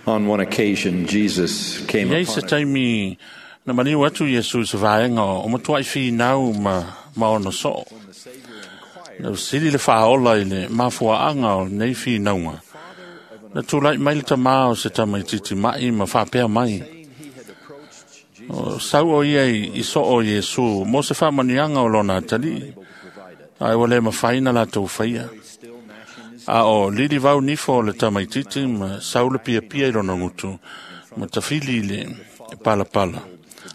On one occasion, Jesus came I ai se upon a taimi na maliu atu Iesu i se vaega o matuai finau ma ona soo. Na sili le whaola i le mafuaaga o nei finauga. Na tūlai mai le tamā o se tamaititi mai ma whapea mai. O sau o ia i so o Iesu, mo se whamanianga o lona tali. Ai ua le mawhai na lātou whaia. A o lili vau nifo o le tamaititi ma sau le piapia i lona ngutu, ma tawhili i le palapala.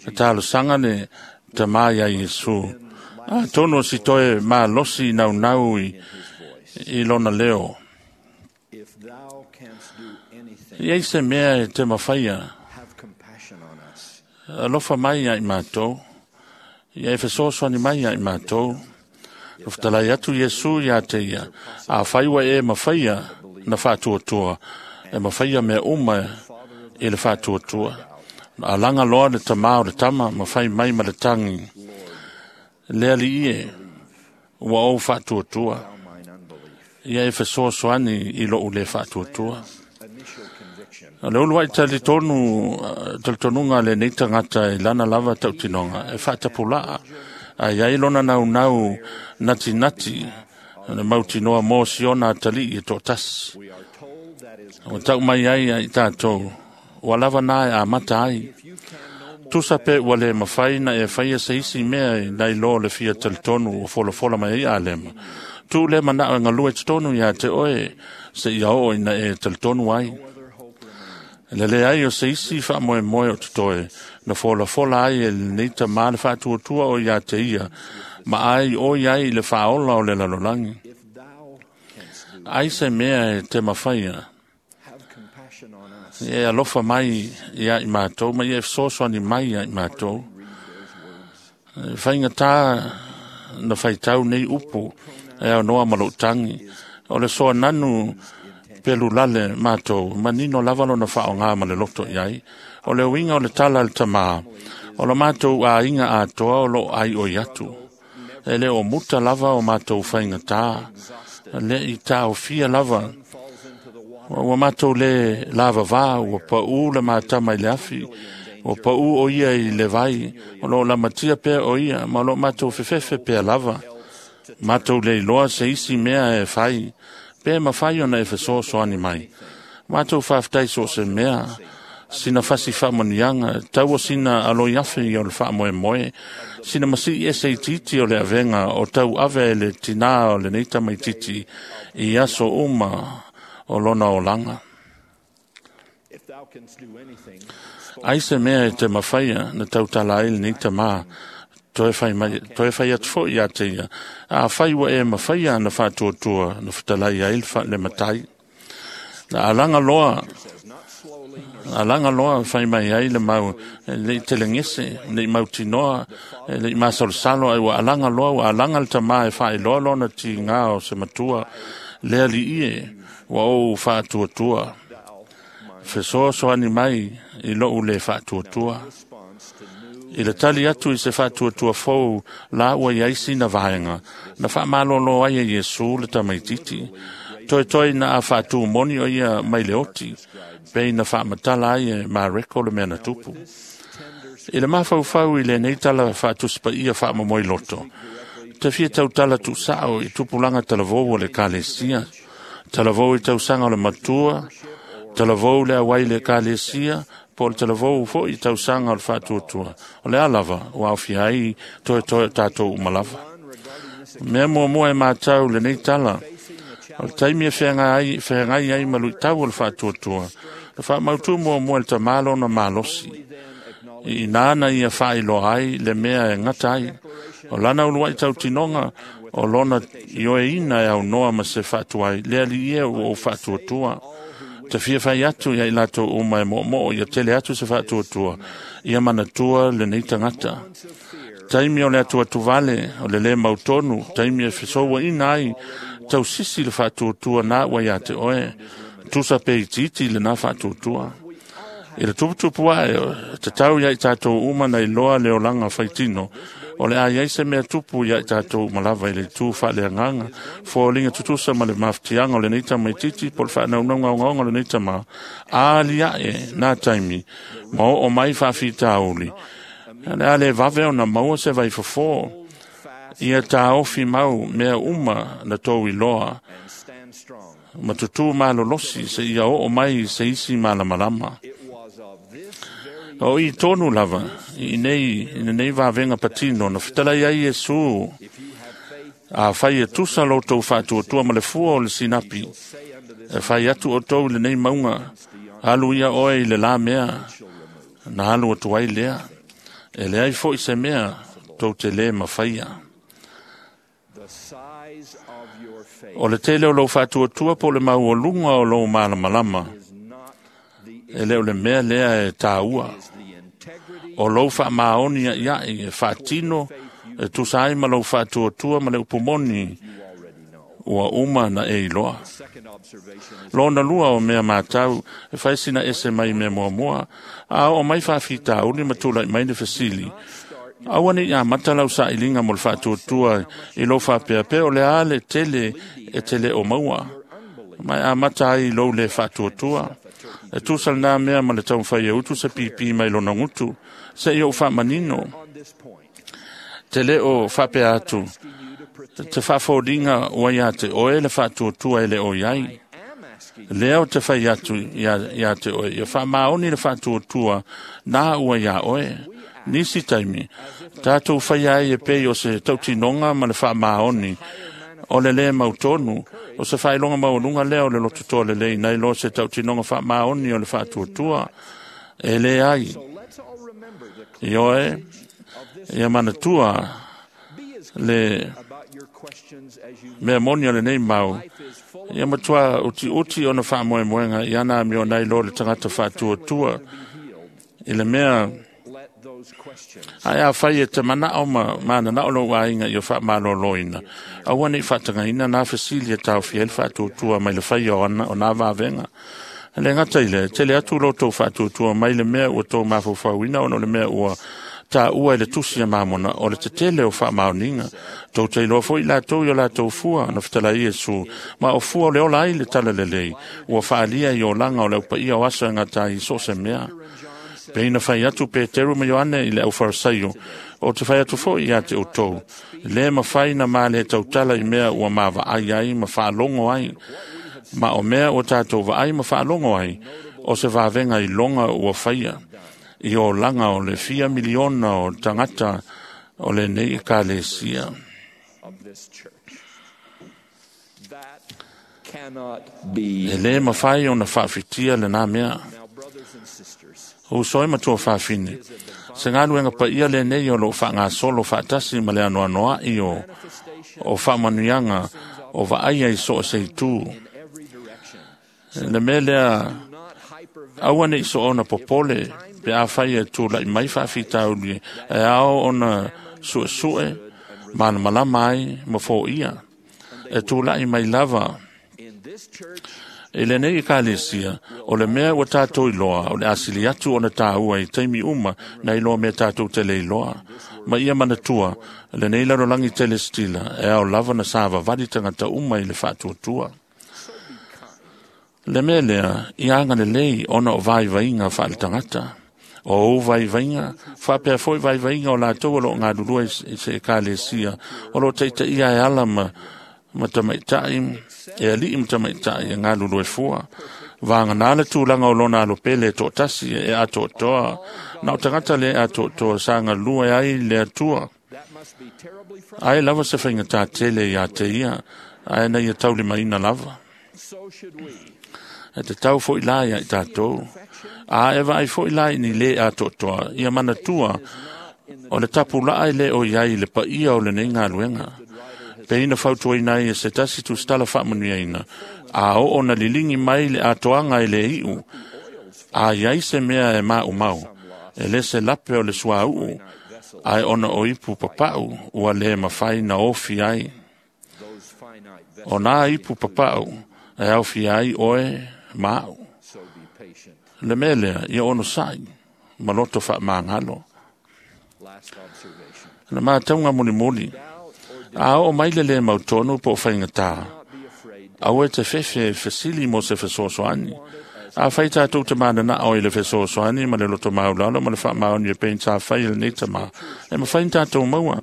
Na talosanga le tamā ia Iesu. A tono si toe malosi nau nau i lona leo. If thou canst do anything, I ei se mea e te mawhaia, have compassion on us. alofa mai ia i mātou. Ia e fesoasoani mai ia i mātou. Na whatalai atu Iesu ia te ia. A whaiwa e mawhaia na whātuatua. E mawhaia mea uma i le whātuatua. A langa loa le tamā o le tama, ma whai mai ma le tangi. Lea li ie, ua ou whātuatua. Thou mine unbelief. Ia e fesoasoani i lou le whātuatua. Initial conviction O le uluai talitonu, talitonuga le nei tagata i lana lava tautinoga, e whaatapulaa. A iai lona nau nau nati nati, le mautinoa mō siona tali i tō tasi. we are told that is O tau mai ai ai tātou, ua lava nā e a mata ai. if you can no more Tusa pe ua le mawhai na e whaia se isi mea i nai lo le fia talitonu o folafola mai ai a lema. Tu le mana o ngalue tonu ia te oe se ia o ina e talitonu ai. other hope remaineth. Le le ai o se isi wha moe moe o te na folafola ai e nei ta maa le whaatuatua o ia te ia, ma ai o ia i le whaola o le lalolangi. If thou canst do, Ai se mea e te mawhaia, have compassion on us. e alofa mai ia i mātou, ma ia e fesoasoani mai ia i mātou. Read those words. E whainga tā na whaitau nei upu, e au noa malo tangi. O le soa nanu pelu lale mātou, manino lava lona whaonga ma le loto iai. O le uinga o le tala le tamā, o le mātou a inga a toa o lo ai o iatu. E le o muta lava o mātou whainga tā, le i tā o fia lava. Falls into the water. Ua mātou le lava vā, ua pau le mātama i le afi, ua pau o ia i le vai, o lo lamatia pea o ia, ma o lo mātou fefefe pea lava. Mātou le iloa se isi mea e whai, pe mawhai ona e fesoasoani mai. Mātou whaftai so se mea, sina fasi whamanianga, tau o sina aloi afe i o le whamoe moe, sina masi e se titi o le avenga o tau ave e le tina o le neita mai titi i aso uma o lona olanga. If thou canst do anything, Ai se mea e te mawhaia na tautala ai le neita mā, toe whai, mai, toe whai atu fo ia te ia. A whai wa e mawhaia na whātuatua na whatalai ai le le matai. Na alanga loa, says, not slowly nor a langa loa whai mai ai le mau, le i telengese, le i mautinoa, le i masalosalo, ai ua alanga loa, ua alanga le tamā e whai loa lona ti ngā o se matua, lea li ie, ua ou whaatuatua. thou mine Fesoasoani mai i lou le whaatuatua. response to new I le tali atu i se whaatuatua fou la ua iai sina vaenga, na whaamalolo ai e Iesu le tamaititi. Toi toi na a whaatu moni o ia mai le oti, pe na whaamatala ai e Mareko le mea na tupu. tender I le mawhauwhau i le nei tala whaatuspa ia whaamamoi loto. Te fia tau tala tu sao i tupulanga talavou o le kalesia. Talavou i tausanga o le matua, talavou le awai le kalesia, po le talavou fo i tausanga o le whaatuatua. O le alava, o awhia ai toe toe tātou umalava. one regarding this Mea mua mua e mātau le nei tala, facing the o le taimi e whengai ai malu tau o le whaatuatua. Le whaamautu mua mua le tamalo na malosi. then acknowledge I nāna ia whailoa ai le mea e ngata ai. O lana uluai tau tinonga o lona ioe ina e au noa ma se whaatuai. Lea li ia o whaatuatua. Te fia whai atu ia i lātou uma e mo mo ia tele atu se whaatuatua. Ia manatua le nei tangata. of fear Taimi o le atua tuvale, o le le mautonu, taimi e fesoua ina ai, tau sisi le whaatuatua nā ua ia te oe. Tusa pe i titi le nā whaatuatua. I le tuputupu ae, te tau ia i tātou uma nei loa le olanga whaitino, O le a iai se mea tupu ia i tatou uma lava i le itu faaleagaga, foliga tutusa ma le mafatiaga o lenei tamaitiiti po o le faanaunauga ogaoga o lenei tamā, a aliae nā taimi ma oo mai faafitauli, o le a le vave ona maua se vaifofo. Ia taofi mau mea uma na tou iloa ma tutū malolosi seia oo mai se isi malamalama. O i tonu lava i nei vavega patino na fetalai ai Iesu, a fai e tusa lo tou faatuatua ma le fua o le sinapi, e fai atu o tou i lenei mauga, alu ia oe i le la mea, na alu atu ai lea. E leai foi se mea tou te lē mafaia. O le tele o lou faatuatua po o le maualuga o lou malamalama, e le o le mea lea e taua. O lou faamaoni aiai e faatino e tusa ai ma lou faatuatua ma le upu moni ua uma na e iloa. Lona lua o mea matau e fai sina ese mai mea muamua, a oo mai faafitauli ma tulai mai le fesili. Aua ne i amata lau sailiga mo le faatuatua i lou faapea pea o le a le tele e te le o maua, ma e amata ai i lou le faatuatua. E tusa lena mea ma le taumafai e utu se pipi mai lona gutu, se i ou faamanino. Te le o faapea atu, te faafoliga ua ia te oe le faatuatua e le o iai. Lea o te fai atu ia te oe, ia faamaoni le faatuatua nā ua ia oe. Nisi taimi, tātou fai ai e pei o se tautinoga ma le faamaoni o le lē mautonu, o se faailoga maualuga lea o le lototoa lelei nai lo se tautinoga faamaoni o le faatuatua. E le ai. Ioe, ia manatua le mea moni o lenei mau, ia matua utiuti ona faamoemoega i ana amio nai lo le tagata faatuatua i le mea. Ae a fai e te manao ma mananao lou aiga ia faamaloloina, aua ne i faatagaina nā fesili e taofia ai le faatuatua mai le faia o nā vavega. E le gata i lea, tele atu lo tou faatuatua mai le mea ua tou mafaufauina ona o le mea ua taua i le tusi a Mamona o le tetele o faamaoniga. Tou te iloa foi latou i o latou fua na fetalai Iesu, ma o fua o le ola ai le talalelei, ua faalia i olaga o le aupaia o aso e gata ai i so o se mea. Pe ina fai atu Peteru ma Ioane i le aufarasaio, o te fai atu foi ia te outou, le mafai na ma le tautala i mea ua mavaai ai ma faalogo ai. Ma o mea ua tatou vaai ma faalogo ai, o se vavega i loga ua faia, i olaga o le fia miliona o tagata o lenei ekalesia. E le mafai ona faafitia lena mea. Uso e matua faafine, se galuega paia lenei o loo faagasolo faatasi ma le anoanoai o faamanuiaga o vaaia i so o se itu. Le mea lea, aua ne i soona popole pe afai e tulai mai faafitauli e ao ona suesue malamalama ai ma foia. E tulai mai lava i lenei ekalesia, o le mea ua tatou iloa, o le asili atu ona taua i taimi uma na iloa mea tatou te le iloa. Ma ia manatua, lenei lalolagi telestila, e ao lava na savavali tagata uma i le faatuatua. Le mea lea, ia agalelei ona o vaivaiga faaletagata. O ou vaivaiga, faapea foi vaivaiga o latou o loo galulue i se ekalesia, o loo taitaia e ala ma tamaitai, e alii ma tamaitai e galulue fua. Vagana le tulaga o lona alopele e toatasi e atoatoa, na o tagata le atoatoa sa galue ai le Atua. Ai lava se faigata tele ia te ia, ae na ia taulimaina lava. E te tau foi la ia i tatou. A e vaai foi la i ni le atoatoa, ia manatua o le tapulaa e le o iai le paia o lenei galuega. Pe ina fautuaina ai e se tasi tusitala faamanuiaina, a oo na liligi mai le atoaga e le iu, a iai se mea e maumau, e le se lape o le suauu, ae ona o ipu papau ua le mafai na ofi ai. O nā ipu papau e aofia ai oe ma au. Le mea lea, ia onosai ma loto faamagalo. Na mātaunga mulimuli, a o mai le le mautonu po o faigata, aua e te fefe fesili mo se fesoasoani. A fai tātou te manana o i le fesoasoani ma le loto maulalo ma le faamaoni e pein sa fai i lenei tamā, e mawhai ni tātou maua.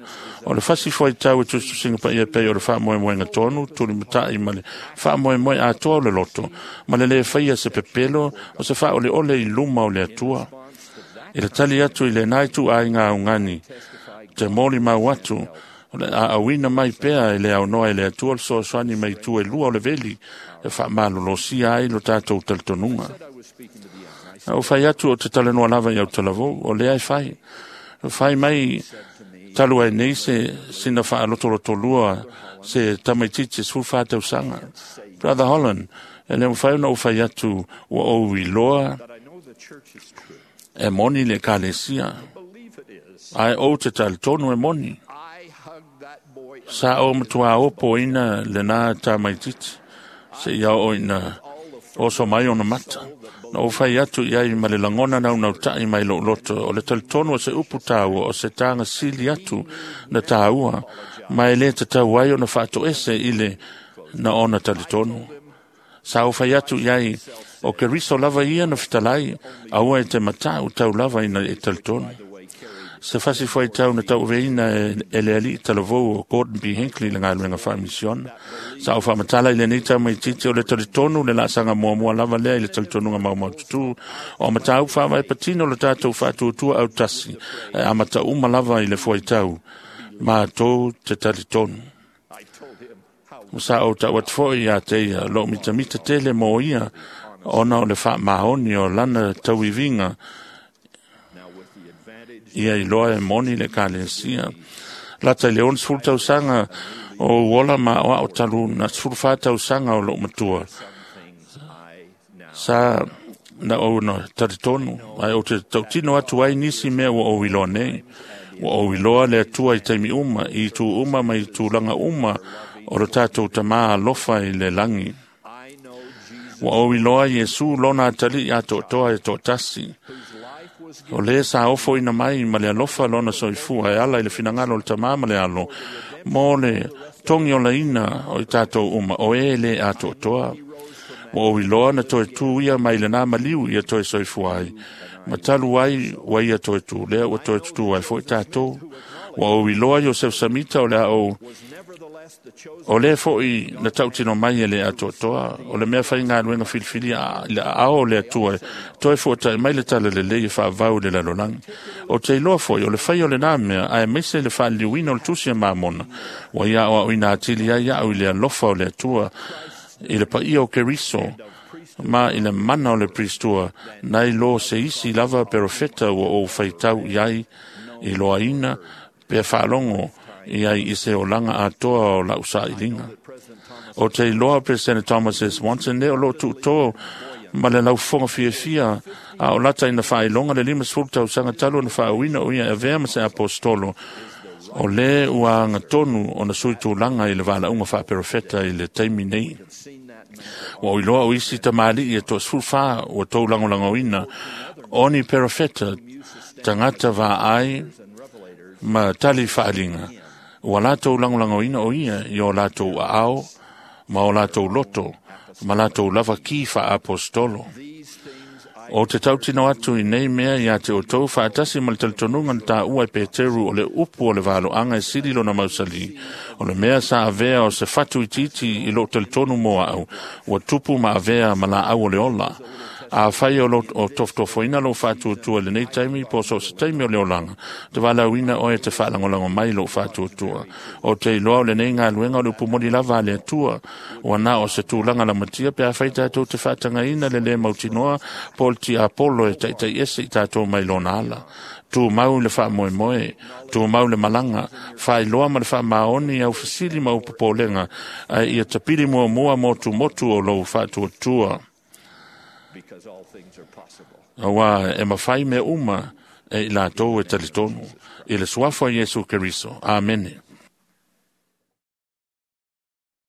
O le fasi foi tau e tusitusinga pa ia pei o le faamoemoega tonu, tulimatai ma le faamoemoe atoa o le loto, ma le le faia se pepelo o se faaoleole i luma o le Atua. I le tali atu i le nai tu ai ngā ungani, te moli mau atu, o le aauina mai pea e le aunoa e le Atua le fesoasoani mai itu e lua o le veli, e faamalolosia ai lo tātou talitonuga. Na ou fai atu o te talanoa lava i au talavou, o lea e fai. Fai mai talu ai nei se sina faalotolotolua se tamaitiiti 14 tausaga. Brother Holland, e le mafai ona ou fai atu ua ou iloa e moni le ekalesia, ae ou te talitonu e moni. Sa ou matua opoina lena tamaitiiti, se ia oo ina oso mai ona mata. Na ou fai atu i ai ma le lagona naunautai mai lou loto, o le talitonu o se upu tāua, o se taga sili atu na tāua, ma e le tatau ai ona faatoese i le na ona talitonu. Sa ou fai atu i ai, o Keriso lava ia na fetalai, aua e te matau tau lava ina e talitonu. Se fasi foi tau na tauaveina e le alii talavou o Gordon B. Hinckley le galuega faamisiona. Sa ou faamatala i lenei tamaitiiti o le talitonu le laasaga muamua lava lea i le talitonuga maumaututu. O mataupu faavae patino le tatou faatuatua autasi, e amata uma lava i le fuaitau, matou te talitonu. Sa ou tau atu foi ia te ia, lou mitamita tele mo ia, ona o le faamaoni o lana tauiviga, ia iloa e moni le ekalesia. Lata i le 60 tausaga o uola ma o ao talu na 14 tausaga o lou matua. Sa na ou na talitonu, ae ou te tautino atu ai nisi mea ua ou iloa nei. Ua ou iloa le Atua i taimi uma, i itu uma ma i tulaga uma o le tātou tamā alofa i le lagi. Ua ou iloa Iesu lona atalii atoatoa e toatasi. O le sa ofoina mai ma le alofa lona soifua e ala i le finagalo o le tamā ma le alo, mo le togi olaina o i tātou uma, o e le atoatoa. Ua ou iloa na toe tū ia mai lena maliu ia toe soifua ai. Ma talu ai ua ia toe tū, lea ua toe tutū ai foi tātou. Ua ou iloa Iosef Samita o le a ou o le foi na tautino mai e le atoatoa, o le mea faigaluega filifilia i le aao o le Atua, toe fuatai mai le tala lelei e faavau i le lalolagi. O te iloa foi, o le fai o lenā mea, ae maise le faaliliuina o le tusi a Mamona, ua ia aoaoina atili ai au i le alofa o le Atua, i le paia o Keriso, ma i le mana o le Pristua, nai lo se isi lava perofeta ua ou faitau i ai, i loaina, pe faalogo i ai i se olaga atoa o lau sailiga. O te iloa President Thomas S. Monson le o loo tuutō ma le laufofoga fiafia a o lata ina faailoga le 50 tausaga talu ona faauina o ia e avea ma se apostolo, o le ua agatonu ona sui tulaga i le valaauga faaperofeta i le taimi nei. Ua ou iloa o isi tamalii e toa 14 ua tou lagolagoina o ni perofeta tagata vaai ma tali faaliga, ua latou lagolagoina o ia i o latou aao ma o latou loto ma latou lava ki faaapostolo. O te tautino atu i nei mea ia te outou faatasi ma le talitonuga na tāua e Peteru o le upu o le valoaga e sili lona mausali, o le mea sa avea o se fatu itiiti i lou talitonu mo au, ua tupu ma avea ma laau o le ola. A fai o, lo, o tofotofoina lou faatuatua i lenei taimi po so o se taimi o le olaga, te valaauina oe te faalagolago mai lou faatuatua. O te iloa o lenei galuega o le upu moni lava a le Atua, ua na o se tulaga lamatia pe afai tatou te faatagaina le lē mautinoa po o le tiapolo e taitaiese i tatou mai lona ala. Tumau le faamoemoe, tumau le malaga, faailoa ma le faamaoni au fesili ma au popolega, ae ia tapili muamua motumotu o lou faatuatua. Auā e mafai mea uma e i latou e talitonu. I le suafa o Iesu Keriso. Amene.